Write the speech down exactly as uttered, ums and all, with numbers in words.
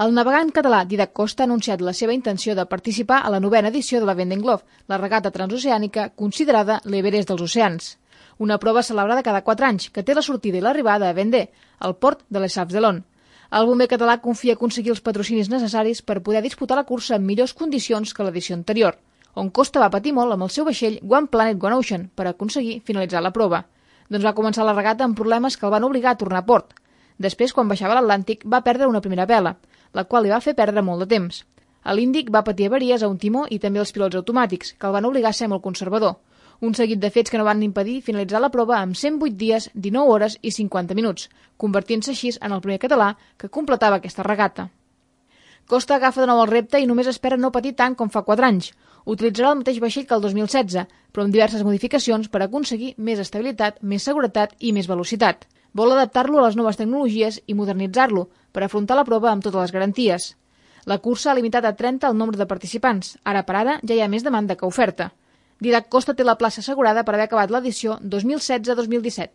El navegant català Dídac Costa ha anunciat la seva intenció de participar a la novena edició de la Vendée Globe, la regata transoceànica considerada l'Everest dels oceans. Una prova celebrada cada quatre anys, que té la sortida i l'arribada a Vendée, al port de Les Sables-d'Olonne. El bomber català confia aconseguir els patrocinis necessaris per poder disputar la cursa en millors condicions que l'edició anterior, on Costa va patir molt amb el seu vaixell One Planet One Ocean per aconseguir finalitzar la prova. Doncs va començar la regata amb problemes que el van obligar a tornar a port. Després, quan baixava l'Atlàntic, va perdre una primera vela, la qual li va fer perdre molt de temps. A l'Índic va patir avaries a un timó i també els pilots automàtics, que el van obligar a ser molt conservador. Un seguit de fets que no van impedir finalitzar la prova amb cent vuit dies, dinou hores i cinquanta minuts, convertint-se així en el primer català que completava aquesta regata. Costa agafa de nou el repte i només espera no patir tant com fa quatre anys. Utilitzarà el mateix vaixell que el dos mil setze, però amb diverses modificacions per aconseguir més estabilitat, més seguretat i més velocitat. Vol adaptar-lo a les noves tecnologies i modernitzar-lo per afrontar la prova amb totes les garanties. La cursa ha limitat a trenta el nombre de participants. Ara per ara ja hi ha més demanda que oferta. Dídac Costa té la plaça assegurada per haver acabat l'edició dos mil setze dos mil disset.